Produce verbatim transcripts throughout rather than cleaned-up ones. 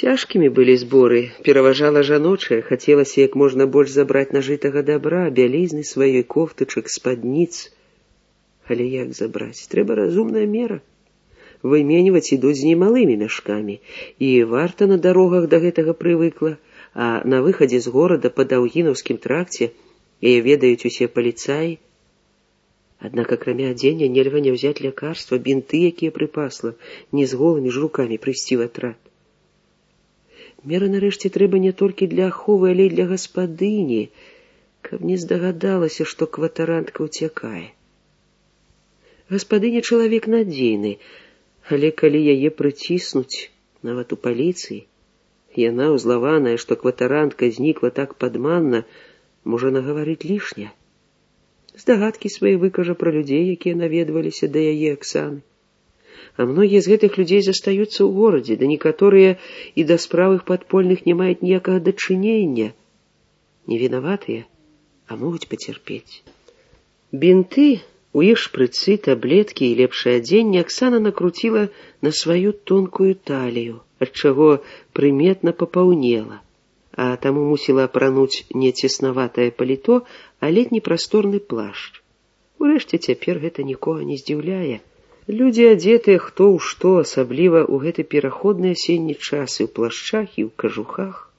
Цяжкімі былі зборы, пераважала жаночая, хацелася як можна больш забраць нажытага дабра, бялізны сваёй, кофтачак, спадніц. Але як забраць? Трэба разумная мера. Выменьваць ідуць з немалымі мяшкамі, і варта на дарогах да гэтага прывыкла, а на выхадзе з горада па Даўгінаўскім тракце яе ведаюць усе паліцаі. Аднак акрамя адзення нельга не ўзяць лякарства, бінты, якія прыпасла, не з голымі ж рукамі прыйсці ў атрад. Мера нарэшце трэба не толькі для аховы, але і для гаспадыні, каб не здагадалася, што кватарантка ўцякае. Гаспадыня чалавек надзейны, але калі яе прыціснуць, нават у паліцыі, яна, узлаваная, што кватарантка знікла так падманна, можа нагаварыць лішне. Здагадкі свае выкажа пра людзей, якія наведваліся да яе Аксаны. А многія з гэтых людзей застаюцца ў горадзе, да некаторыя і да спраў іх падпольных не маюць ніякага дачынення. Не вінаватыя, а могуць пацярпець. Бінты, у іх шпрыцы, таблеткі і лепшае адзенне Аксана накруціла на сваю тонкую талію, ад чаго прыметна папаўнела, а таму мусіла апрануць не цеснаватае паліто, а летні прасторны плашч. Урэшце цяпер гэта нікога не здзіўляе. Людзі адзетыя хто ў што, асабліва ў гэты пераходны асенні час і ў плашчах, і ў кажухах.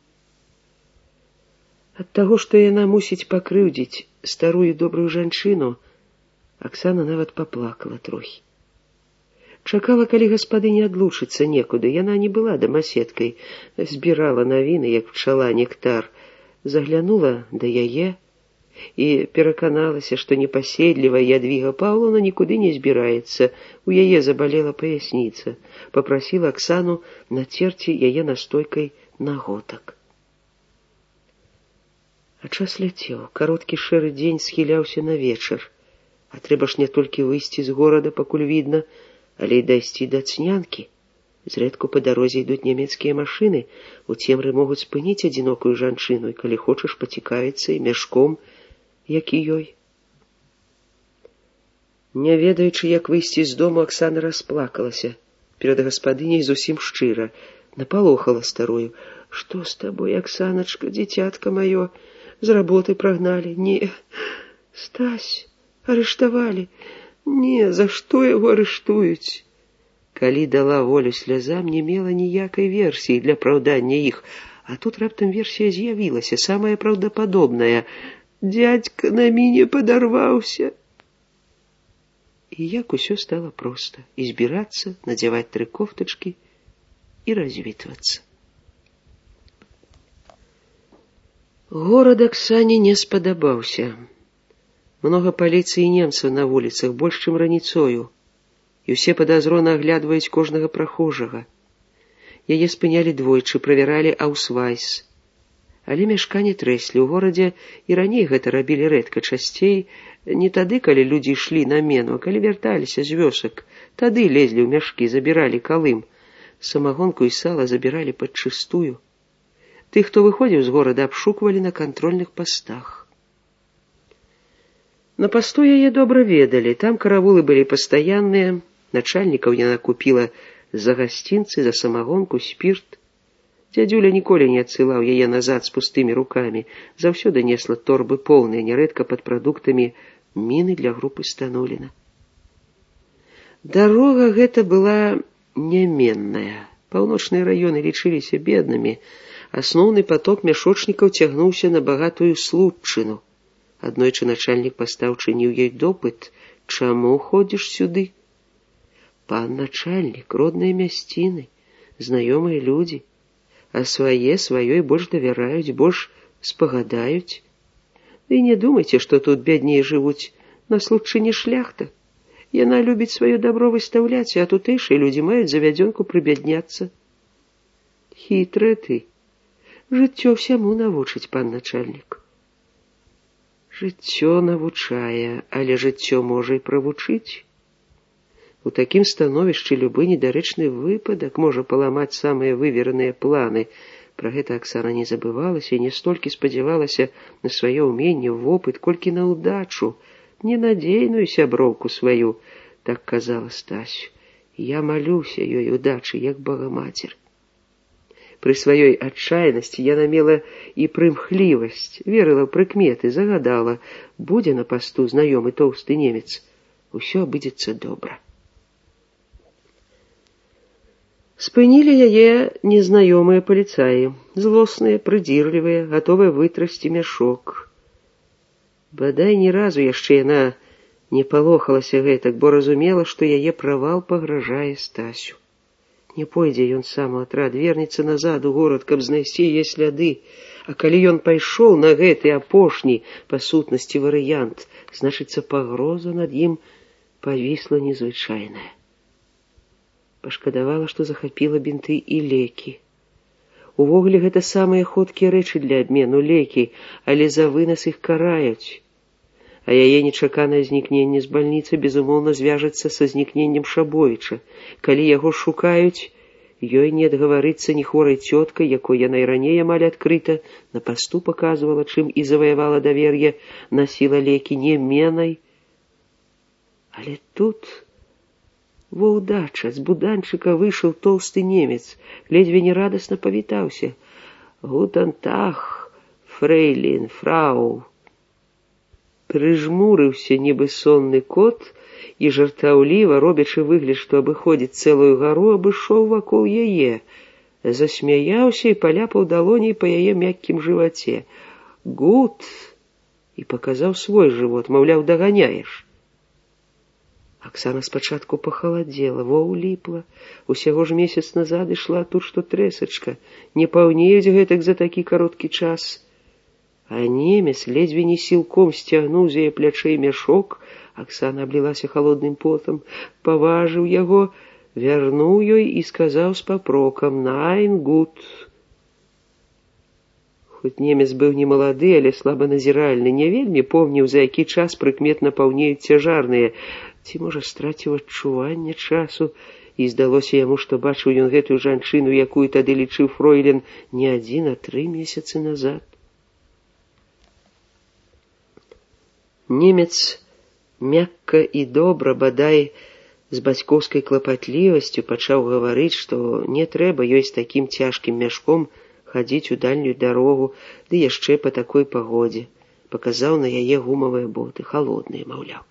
Ад таго, што яна мусіць пакрыўдзіць старую добрую жанчыну, Аксана нават паплакала трохі. Чакала, калі гаспадыня адлучыцца некуды. Яна не была дамаседкай, збірала навіны, як пчала нектар, заглянула да яе і пераканалася, што непаседлівая Ядвіга Паўлаўна нікуды не збіраецца. У яе забалела паясніца. Папрасіла Аксану нацерці яе настойкай на готак. А час ляцеў. Кароткі шэры дзень схіляўся на вечар. А трэба ж не толькі выйсці з горада, пакуль відна, але і дайсці да Цнянкі. Зрэдку па дарозе ідуць нямецкія машыны, у цемры могуць спыніць адзінокую жанчыну, і калі хочаш пацікавіцца і мяшком, як і ёй. Не ведаючы, як выйсці з дому, Аксана расплакалася. Перад гаспадыняй зусім шчыра. Напалохала старую. Што з табой, Аксаначка, дзіцятка маё? З работы прагналі? Не, Стась, арыштавалі. Не, за што яго арыштуюць? Калі дала волю слязам, не мела ніякай версіі для праўдання іх, а тут раптам версія з'явілася, самая праўдападобная. Дядька на мяне падарваўся. І як усё стала проста. І збірацца, надзяваць тры кофтачкі і развітвацца. Горад Аксане не спадабаўся. Многа паліцыі і немцаў на вуліцах, больш, чым раніцою, і ўсе падазрона аглядваюць кожнага прахожага. Яе спынялі двойчы, правяралі аўсвайс. Але мяшканне трэслі. У горадзе і раней гэта рабілі рэдка, часцей не тады, калі людзі ішлі на мену, а калі вярталіся з вёсак. Тады лезлі ў мяшкі, забіралі калым. Самагонку і сала забіралі падчыстую. Тых, хто выходзіў з горада, абшуквалі на кантрольных пастах. На пасту яе добра ведалі, там каравулы былі пастаянныя, начальнікаў яна купіла за гасцінцы, за самагонку, спірт. Дзядзюля ніколі не адсылаў яе назад з пустымі рукамі, заўсёды несла торбы поўныя, нярэдка пад прадуктамі міны для групы Стануліна. Дарога гэта была няменная. Паўночныя раёны лічыліся беднымі, асноўны поток мяшочнікаў цягнуўся на багатую Случчыну. Аднойчы начальнік паста ўчыніў ёй допыт. Чаму ходзіш сюды? Пан начальнік, родныя мясціны, знаёмыя людзі, а свае сваёй больш давяраюць, больш спагадаюць. І не думайце, што тут бядней жывуць, на Случчыне шляхта. Яна любіць сваё дабро выстаўляць, а тутэйшыя людзі маюць завядзёнку прыбядняцца. Хітрая ты. Жыццё всяму навучыць, пан начальнік. Жыццё навучае, але жыццё можа і правучыць. У такім становішчы любы недарэчны выпадак можа паламаць самыя вывераныя планы. Пра гэта Аксана не забывалася і не столькі спадзявалася на сваё ўменне, вопыт, колькі на ўдачу, ненадзейную сяброўку сваю, так казала Стасю. Я малюся ёй удачы, як Багамацер. Пры сваёй адчайнасці яна мела і прымхлівасць, верыла ў прыкметы, загадала: будзе на пасту знаёмы тоўсты немец, усё абыдзецца добра. Спынілі яе незнаёмыя паліцаі, злосныя, прыдзірлівыя, гатовыя вытрасці мяшок. Бадай ні разу яшчэ яна не палохалася гэтак, бо разумела, што яе правал пагражае Стасю. Не пойдзе ён сам у атрад, вернецца назад у горад, каб знайсці яе сляды. А калі ён пайшоў на гэты апошні па сутнасці варыянт, значыцца, пагроза над ім павісла незвычайная. Пашкадавала, што захапіла бінты і лекі. Увогуле, гэта самыя ходкія рэчы для абмену, лекі, але за вынас іх караюць. А яе нечаканае знікненне з бальніцы, безумоўна, звяжацца са знікненнем Шабовіча. Калі яго шукаюць, ёй не адгаварыцца ні хворай цёткай, якой яна і раней амаль адкрыта на пасту паказвала, чым і заваявала давер'е, насіла лекі неменай. Але тут во ўдача, з буданчыка выйшаў тоўсты немец, ледзьве не радасна павітаўся. «Гутен Таг, фрэйлін, фрау». Прыжмурыўся, нібы сонны кот, і жартаўліва, робячы выгляд, што абыходзіць цэлую гару, абышоў вакол яе, засмяяўся і паляпаў далоней па яе мяккім жываце. «Гут!» і паказаў свой жывот, маўляў, даганяеш. Аксана спачатку пахаладзела, во ўліпла. Усяго ж месяц назад ішла тут што трэсачка. Не паўнеюць гэтак за такі кароткі час. А немец ледзьве не сілком сцягнуў з яе плячэй мяшок. Аксана аблілася халодным потам, паважыў яго, вярнуў ёй і сказаў з папрокам: «Найн гут». Хоць немец быў не малады, але слабаназіральны, не вельмі помніў, за які час прыкметна паўнеюць цяжарныя. Ці, можа, страціў адчуванне часу, і здалося яму, што бачыў ён гэтую жанчыну, якую тады лічыў фройлен, не адзін, а тры месяцы назад. Немец мякка і добра, бадай з бацькоўскай клапатлівасцю, пачаў гаварыць, што не трэба ёй з такім цяжкім мяшком хадзіць у дальнюю дарогу, ды яшчэ па такой пагодзе. Паказаў на яе гумавыя боты, халодныя, маўляў.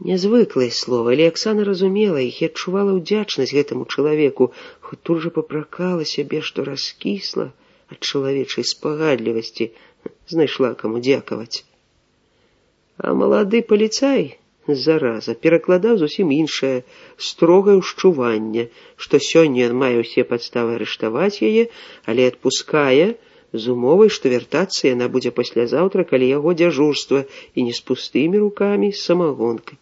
Нязвыклае слова, але Аксана разумела іх і адчувала ўдзячнасць гэтаму чалавеку, хоць тут жа папракала сябе, што раскісла ад чалавечай спагадлівасці, знайшла каму дзякаваць. А малады паліцай, зараза, перакладаў зусім іншае, строгае ўшчуванне, што сёння ён мае ўсе падставы арыштаваць яе, але адпускае з умовай, што вяртацца яна будзе паслязаўтра, калі яго дзяжурства, і не з пустымі рукамі, з самагонкай.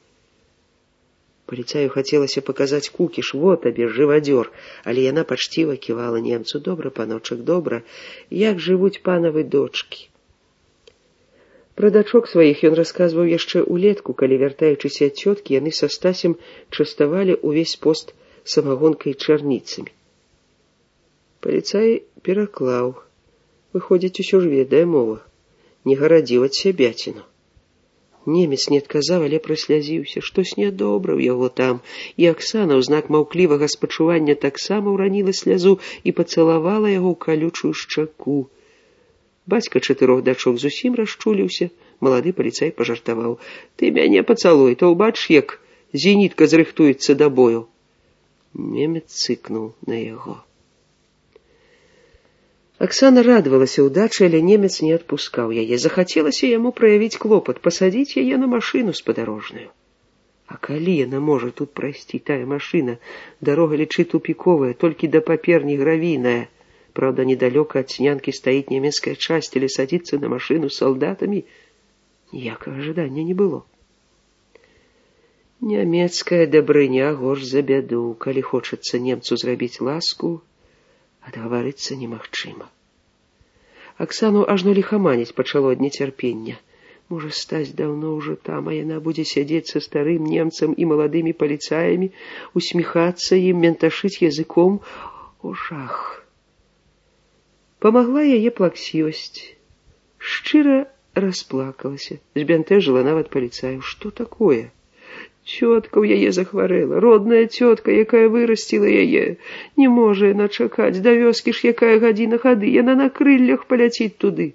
Паліцаю хацелася паказаць кукіш: «Во табе, жывадзёр», але яна пачціва ківала немцу: «Добра, паночак, добра, як жывуць панавы дочкі». Пра дачок сваіх ён расказваў яшчэ ўлетку, калі, вяртаючыся ад цёткі, яны са Стасем частавалі ўвесь пост самагонкай і чарніцамі. Паліцай пераклаў. Выходзіць, усё ж ведае мова. Не гарадзіў ад сябяціну. Немец не адказаў, але праслязіўся. Штось нядобра ў яго там, і Аксана ў знак маўклівага спачування таксама ўраніла слязу і пацалавала яго ў калючую шчаку. Бацька чатырох дачок зусім расчуліўся. Малады паліцай пажартаваў: «Ты мяне пацалуй, то ўбачш, як зенітка зрыхтуецца да бою». Немец цыкнуў на яго. Аксана радавалася ўдачы, але немец не адпускаў яе. Захацелася яму праявіць клопат, пасадзіць яе на машыну спадарожную. А калі яна можа тут прайсці, тая машына? Дарога, лічы, тупіковая, толькі да паперні гравійная. Праўда, недалёка ад Снянкі стаіць нямецкая часць, але садзіцца на машыну з салдатамі ніякага жадання не было. Нямецкая дабрыня горш за бяду. Калі хочацца немцу зрабіць ласку, адгаварыцца немагчыма. Аксану ажно ліхаманіць пачало ад нецярпення. Можа, Стась даўно ўжо там, а яна будзе сядзець са старым немцам і маладымі паліцаямі, усміхацца ім, менташыць языком. О, жах! Памагла яе плаксівасць. Шчыра расплакалася, збянтэжыла нават паліцаю. Што такое? Цётка ў яе захварэла, родная цётка, якая вырасціла яе. Не можа яна чакаць, да вёскі ж якая гадзіна хады, яна на крыллях паляціць туды.